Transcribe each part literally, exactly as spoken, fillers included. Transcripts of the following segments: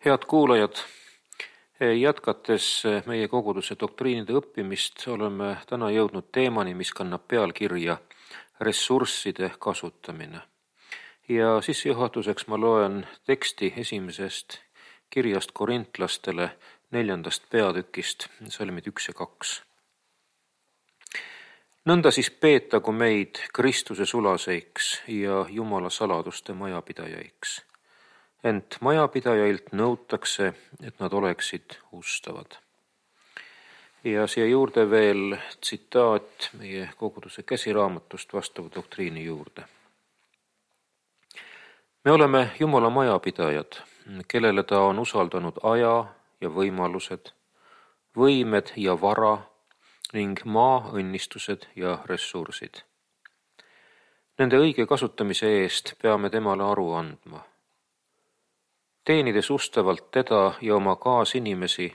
Head kuulajad, jätkates meie koguduse doktriinide õppimist oleme täna jõudnud teemani, mis kannab pealkirja ressursside kasutamine. Ja sissejuhatuseks ma loen teksti esimesest kirjast korintlastele neljandast peatükist, salmid üks ja kaks. Nõnda siis peetagu meid Kristuse sulaseiks ja Jumala saladuste majapidajaiks. Ent majapidajailt nõutakse, et nad oleksid ustavad. Ja siia juurde veel tsitaat meie koguduse käsiraamatust vastava doktriini juurde. Me oleme Jumala majapidajad, kellele ta on usaldanud aja ja võimalused, võimed ja vara ning maa õnnistused ja ressursid. Nende õige kasutamise eest peame temale aru andma. Teenides ustavalt teda ja oma kaasinimesi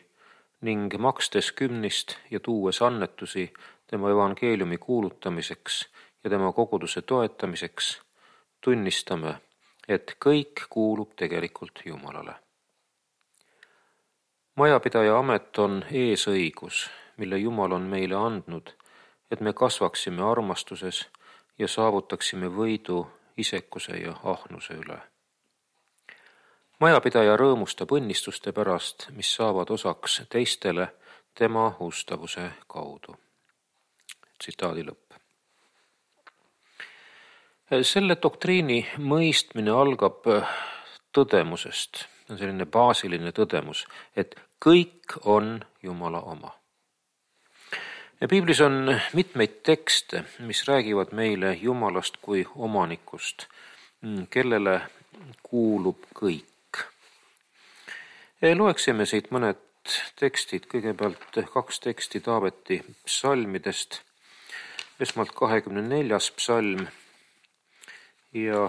ning makstes kümnist ja tuues annetusi tema evangeeliumi kuulutamiseks ja tema koguduse toetamiseks, tunnistame, et kõik kuulub tegelikult Jumalale. Majapidaja amet on eesõigus, mille Jumal on meile andnud, et me kasvaksime armastuses ja saavutaksime võidu isekuse ja ahnuse üle. Majapidaja rõõmustab õnnistuste pärast, mis saavad osaks teistele tema ustavuse kaudu. Tsitaadi lõpp. Selle doktriini mõistmine algab tõdemusest, on selline baasiline tõdemus, et kõik on Jumala oma. Ja Piiblis on mitmeid tekste, mis räägivad meile Jumalast kui omanikust, kellele kuulub kõik. Loeksime siit mõned tekstid, kõigepealt kaks teksti Taaveti psalmidest, esmalt kahekümne neljas psalm ja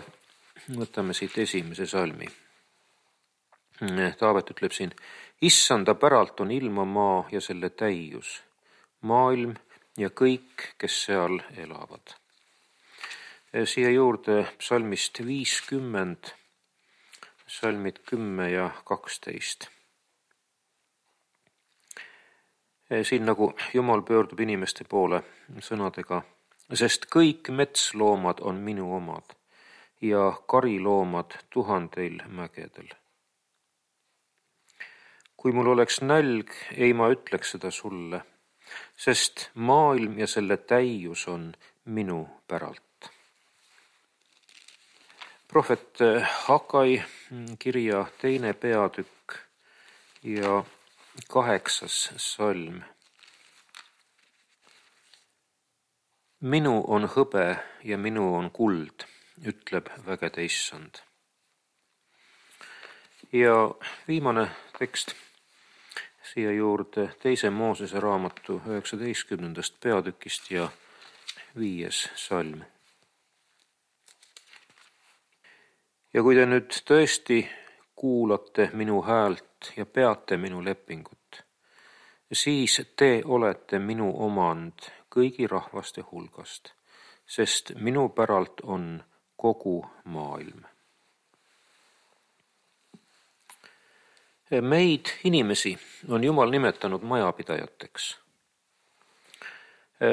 võtame siit esimese salmi. Taavet ütleb siin, issanda päralt on ilma maa ja selle täius, maailm ja kõik, kes seal elavad. Siia juurde psalmist viiskümmend, salmid kümme ja kaksteist. Siin nagu Jumal pöördub inimeste poole sõnadega, sest kõik metsloomad on minu omad ja kariloomad tuhandeil mägedel. Kui mul oleks nälg, ei ma ütleks seda sulle, sest maailm ja selle täius on minu päralt. Prohvet Hagai kirja teine peatükk ja kaheksas salm. Minu on hõbe ja minu on kuld, ütleb vägede issand. Ja viimane tekst siia juurde teise Moosese raamatu üheksateistkümnendast peatükist ja viies salm. Ja kui te nüüd tõesti kuulate minu häält ja peate minu lepingut, siis te olete minu omand kõigi rahvaste hulgast, sest minu päralt on kogu maailm. Meid, inimesi, on Jumal nimetanud majapidajateks.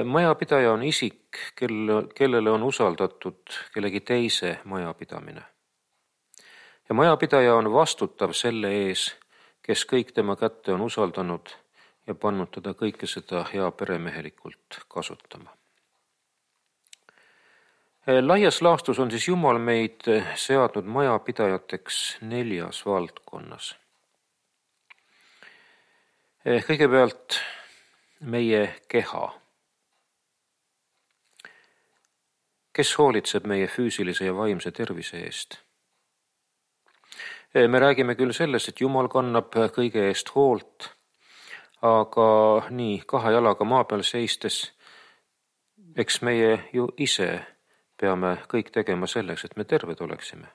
Majapidaja on isik, kellele on usaldatud kellegi teise majapidamine. Ja majapidaja on vastutav selle ees, kes kõik tema kätte on usaldanud ja pannud teda kõike seda hea peremehelikult kasutama. Laias laastus on siis Jumal meid seadnud majapidajateks neljas valdkonnas. Kõigepealt meie keha. Kes hoolitseb meie füüsilise ja vaimse tervise eest? Me räägime küll sellest, et Jumal kannab kõige eest hoolt, aga nii kahe jalaga maa peal seistes, eks meie ju ise peame kõik tegema selleks, et me terved oleksime.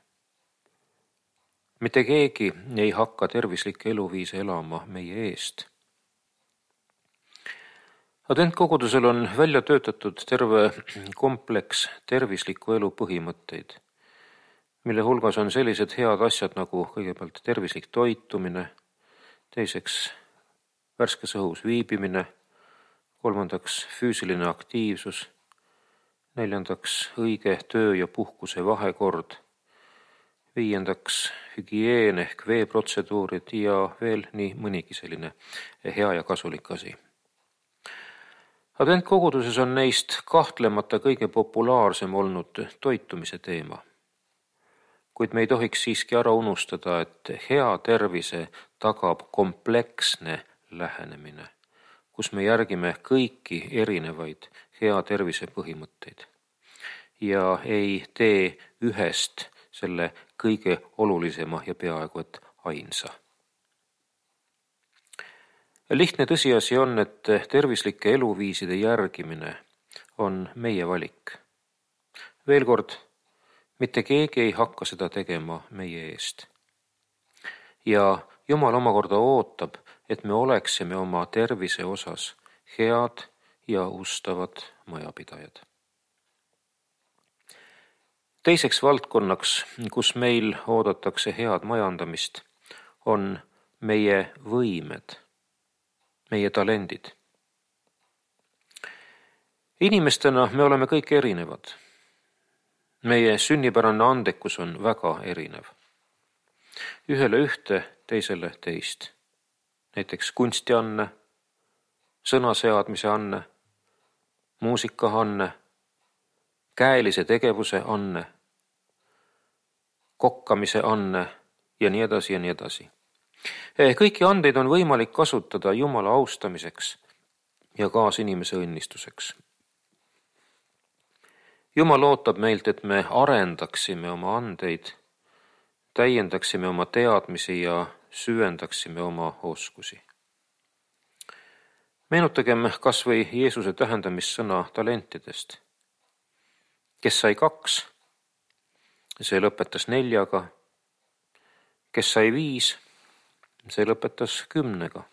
Mitte keegi ei hakka tervislikke eluviise elama meie eest. Adventkogudusel on välja töötatud terve kompleks tervisliku elu põhimõtteid, mille hulgas on sellised head asjad nagu kõigepealt tervislik toitumine, teiseks värskes õhus viibimine, kolmandaks füüsiline aktiivsus, neljandaks õige töö ja puhkuse vahekord, viiendaks hügieen ehk veeprotseduurid ja veel nii mõnigi selline hea ja kasulik asi. Adventkoguduses on neist kahtlemata kõige populaarsem olnud toitumise teema. Kuid me ei tohiks siiski ära unustada, et hea tervise tagab kompleksne lähenemine, kus me järgime kõiki erinevaid hea tervise põhimõtteid ja ei tee ühest selle kõige olulisema ja peaaegu et ainsa. Lihtne tõsiasi on, et tervislike eluviiside järgimine on meie valik. Veel kord, mitte keegi ei hakka seda tegema meie eest. Ja Jumal omakorda ootab, et me oleksime oma tervise osas head ja ustavad majapidajad. Teiseks valdkonnaks, kus meil oodatakse head majandamist, on meie võimed, meie talendid. Inimestena me oleme kõik erinevad. Meie sünnipärane andekus on väga erinev. Ühele ühte, teisele teist. Näiteks kunstianne, sõnaseadmise anne, muusikaanne, käelise tegevuse anne, kokkamise anne ja nii edasi ja nii edasi. Kõiki andeid on võimalik kasutada Jumala austamiseks ja kaasinimese õnnistuseks. Jumal ootab meilt, et me arendaksime oma andeid, täiendaksime oma teadmisi ja süvendaksime oma oskusi. Meenutagem kas või Jeesuse tähendamissõna talentidest. Kes sai kaks, see lõpetas neljaga. Kes sai viis, see lõpetas kümnega.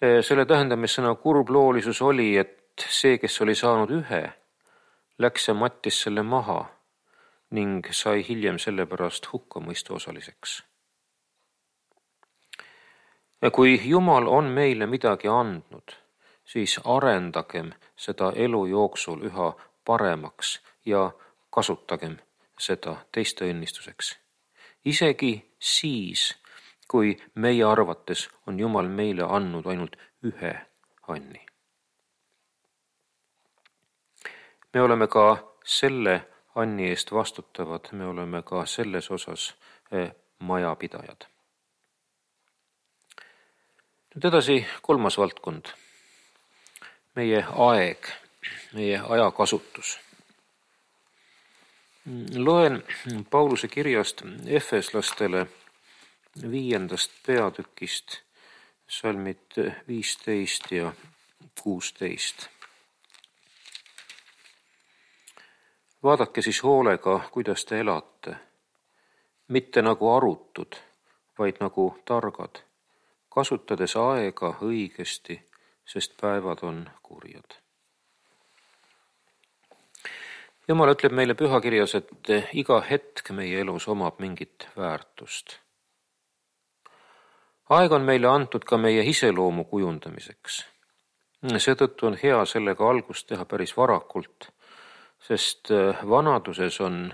Selle tähendamissõna kurbloolisus oli, et see, kes oli saanud ühe, läks ja mattis selle maha ning sai hiljem sellepärast hukkamõistu osaliseks. Ja kui Jumal on meile midagi andnud, siis arendagem seda elu jooksul üha paremaks ja kasutagem seda teiste õnnistuseks. Isegi siis, kui meie arvates on Jumal meile andnud ainult ühe anni. Me oleme ka selle anni eest vastutavad, me oleme ka selles osas majapidajad. Nüüd edasi kolmas valdkond. Meie aeg, meie ajakasutus. Loen Pauluse kirjast Efeslastele viiendast peatükist salmid viisteist ja kuusteist. Vaadake siis hoolega, kuidas te elate, mitte nagu arutud, vaid nagu targad, kasutades aega õigesti, sest päevad on kurjad. Jumal ütleb meile pühakirjas, et iga hetk meie elus omab mingit väärtust. Aeg on meile antud ka meie iseloomu kujundamiseks. Seetõttu on hea sellega algust teha päris varakult, sest vanaduses on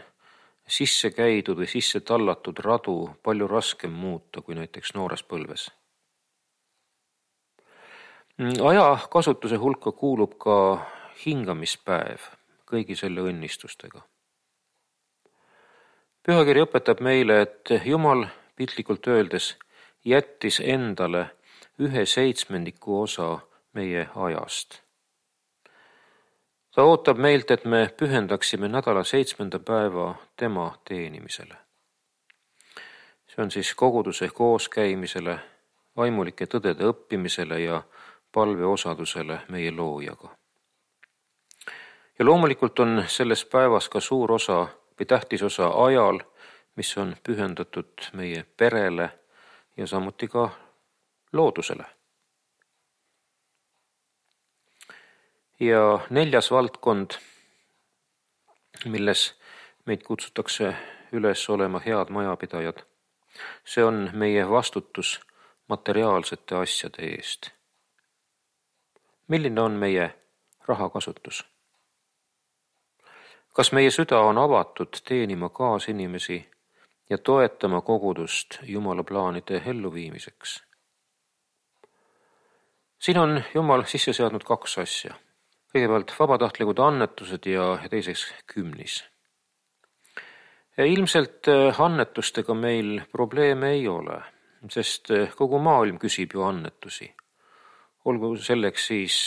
sisse käidud või sisse tallatud radu palju raskem muuta kui näiteks noores põlves. Aja kasutuse hulka kuulub ka hingamispäev kõigi selle õnnistustega. Pühakiri õpetab meile, et Jumal piltlikult öeldes jättis endale ühe seitsmendiku osa meie ajast. Ta ootab meilt, et me pühendaksime nädala seitsmenda päeva tema teenimisele. See on siis koguduse kooskäimisele, vaimulike tõdede õppimisele ja palveosadusele meie loojaga. Ja loomulikult on selles päevas ka suur osa või tähtis osa ajal, mis on pühendatud meie perele ja samuti ka loodusele. Ja neljas valdkond, milles meid kutsutakse üles olema head majapidajad. See on meie vastutus materiaalsete asjade eest. Milline on meie rahakasutus? Kas meie süda on avatud teenima kaasinimesi ja toetama kogudust Jumala plaanide elluviimiseks? Siin on Jumal sisse seadnud kaks asja. Kõigepealt vabatahtlikud annetused ja teiseks kümnis. Ja ilmselt annetustega meil probleeme ei ole, sest kogu maailm küsib ju annetusi. Olgu selleks siis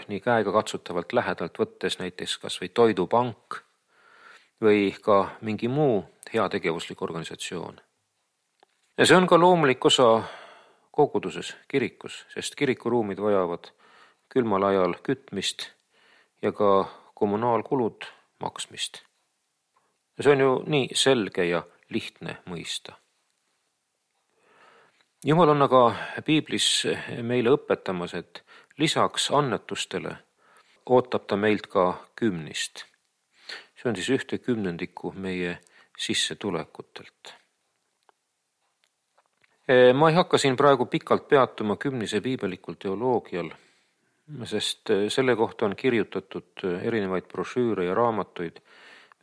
nii käega katsutavalt lähedalt võttes näiteks kas või toidupank või ka mingi muu heategevuslik organisatsioon. Ja see on ka loomulik osa koguduses, kirikus, sest kirikuruumid vajavad külmal ajal kütmist ja ka kommunaalkulud maksmist. Ja see on ju nii selge ja lihtne mõista. Jumal on aga piiblis meile õpetamas, et lisaks annetustele ootab ta meilt ka kümnist. See on siis ühte kümnendikku meie sissetulekutelt. Ma ei hakka siin praegu pikalt peatuma kümnise piibelikul teoloogial, sest selle kohta on kirjutatud erinevaid brošüüre ja raamatuid,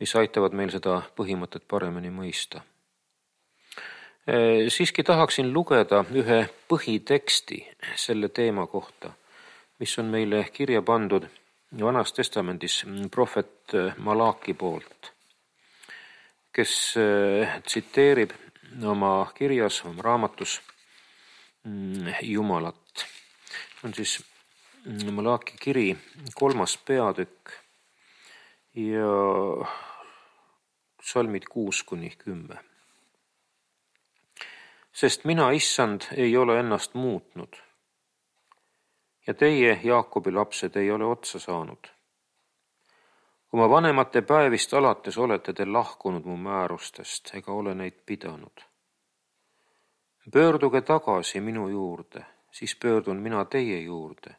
mis aitavad meil seda põhimõtet paremini mõista. Siiski tahaksin lugeda ühe põhiteksti selle teema kohta, mis on meile kirja pandud Vanas Testamendis prohvet Malaki poolt, kes tsiteerib oma kirjas, oma raamatus Jumalat. On siis Malaki kiri kolmas peatükk ja salmid kuus kuni kümme. Sest mina, issand, ei ole ennast muutnud ja teie, Jaakobi lapsed, ei ole otsa saanud. Oma vanemate päevist alates olete te lahkunud mu määrustest ega ole neid pidanud. Pöörduge tagasi minu juurde, siis pöördun mina teie juurde,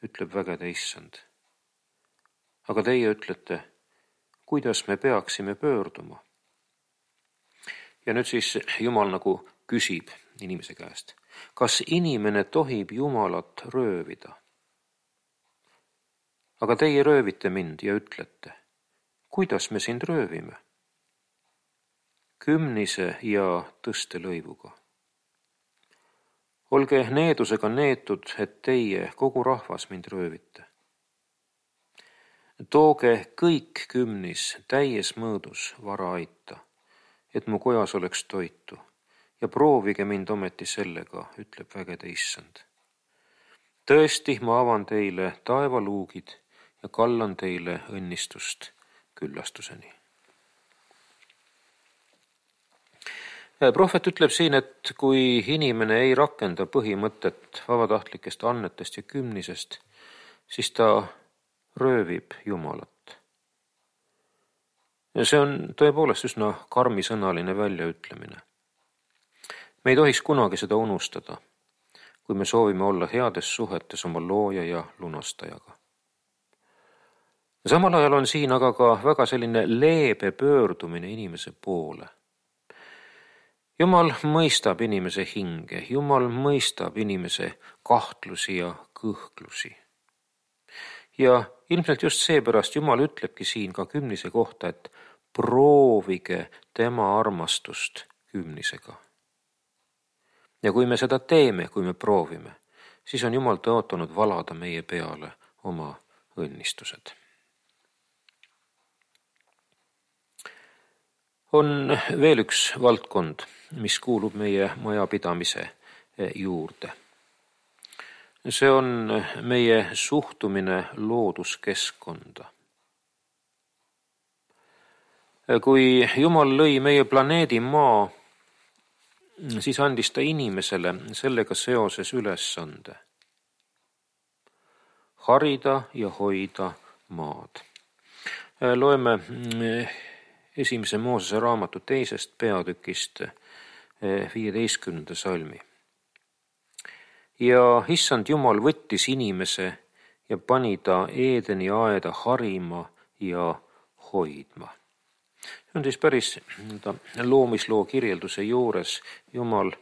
ütleb vägede issand. Aga teie ütlete, kuidas me peaksime pöörduma? Ja nüüd siis Jumal nagu küsib inimese käest, kas inimene tohib Jumalat röövida? Aga teie röövite mind ja ütlete, kuidas me sind röövime? Kümnise ja tõstelõivuga. Olge needusega neetud, et teie, kogu rahvas, mind röövite. Tooge kõik kümnis täies mõõdus vara aita, et mu kojas oleks toitu, ja proovige mind ometi sellega, ütleb vägede issand. Tõesti, ma avan teile taevaluugid ja kallan teile õnnistust küllastuseni. Prohvet ütleb siin, et kui inimene ei rakenda põhimõtet vabatahtlikest annetest ja kümnisest, siis ta röövib Jumalat. Ja see on tõepoolest üsna karmisõnaline väljaütlemine. Me ei tohiks kunagi seda unustada, kui me soovime olla heades suhetes oma looja ja lunastajaga. Samal ajal on siin aga ka väga selline leebe pöördumine inimese poole. Jumal mõistab inimese hinge, Jumal mõistab inimese kahtlusi ja kõhklusi. Ja ilmselt just seepärast Jumal ütlebki siin ka kümnise kohta, et proovige tema armastust kümnisega. Ja kui me seda teeme, kui me proovime, siis on Jumal tõotanud valada meie peale oma õnnistused. On veel üks valdkond, mis kuulub meie majapidamise juurde. See on meie suhtumine looduskeskkonda. Kui Jumal lõi meie planeedi Maa, siis andis ta inimesele sellega seoses ülesande. Harida ja hoida maad. Loeme esimese Moosese raamatu teisest peatükist viieteistkümnenda salmi. Ja issand Jumal võttis inimese ja pani ta Eedeni aeda harima ja hoidma. on siis päris loomisloo kirjelduse juures. Jumal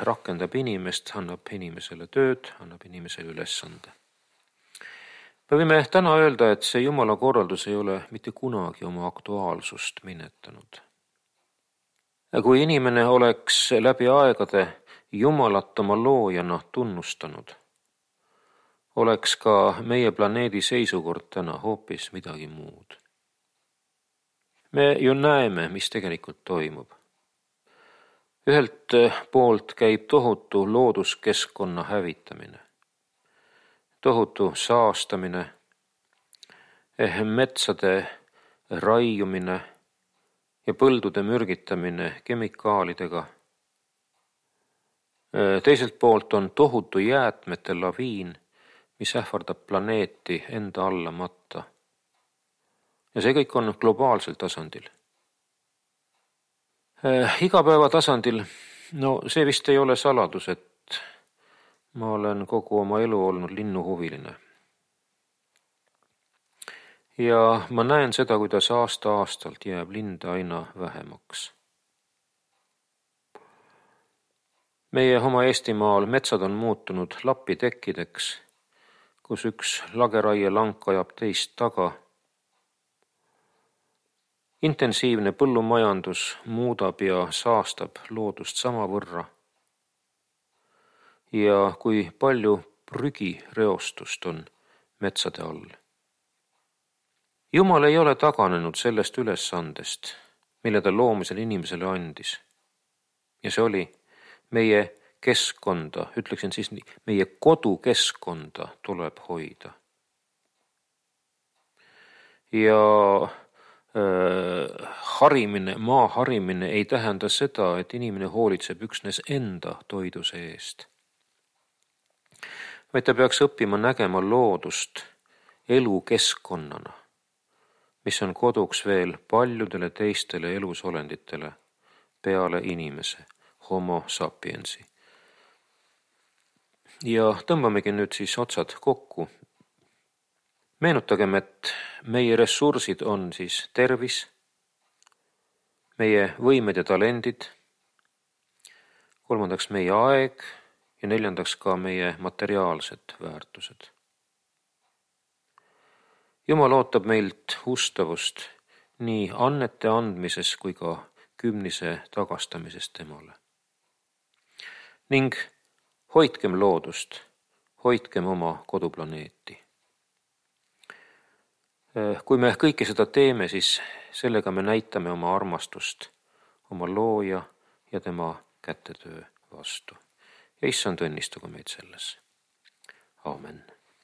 rakendab inimest, annab inimesele tööd, annab inimesele ülesande. Me võime täna öelda, et see Jumala korraldus ei ole mitte kunagi oma aktuaalsust minetanud. Kui inimene oleks läbi aegade Jumalat oma loojana tunnustanud, oleks ka meie planeedi seisukord täna hoopis midagi muud. Me ju näeme, mis tegelikult toimub. Ühelt poolt käib tohutu looduskeskkonna hävitamine, tohutu saastamine, metsade raiumine ja põldude mürgitamine kemikaalidega. Teiselt poolt on tohutu jäätmete laviin, mis ähvardab planeeti enda alla matta. Ja see kõik on globaalsel tasandil. Igapäeva tasandil, no see vist ei ole saladus, et ma olen kogu oma elu olnud linnuhuviline. Ja ma näen seda, kuidas aasta-aastalt jääb linde aina vähemaks. Meie oma Eestimaal metsad on muutunud lapitekkideks, kus üks lageraie lank ajab teist taga. Intensiivne põllumajandus muudab ja saastab loodust sama võrra. Ja kui palju prügireostust on metsade all. Jumal ei ole taganenud sellest ülesandest, mille ta loomisel inimesele andis. Ja see oli meie keskkonda, ütleksin siis nii, meie kodukeskkonda tuleb hoida. Ja äh, harimine, maa harimine ei tähenda seda, et inimene hoolitseb üksnes enda toiduse eest. Vaid ta peaks õppima nägema loodust elukeskkonnana, mis on koduks veel paljudele teistele elusolenditele peale inimese, homo sapiensi. Ja tõmbamegi nüüd siis otsad kokku. Meenutagem, et meie ressursid on siis tervis, meie võimed ja talendid, kolmandaks meie aeg ja neljandaks ka meie materiaalsed väärtused. Jumal ootab meilt ustavust nii annete andmises kui ka kümnise tagastamises temale. Ning hoidkem loodust, hoidkem oma koduplaneeti. Kui me kõike seda teeme, siis sellega me näitame oma armastust, oma looja ja tema kätetöö vastu. Ja issand õnnistagu meid selles. Aamen.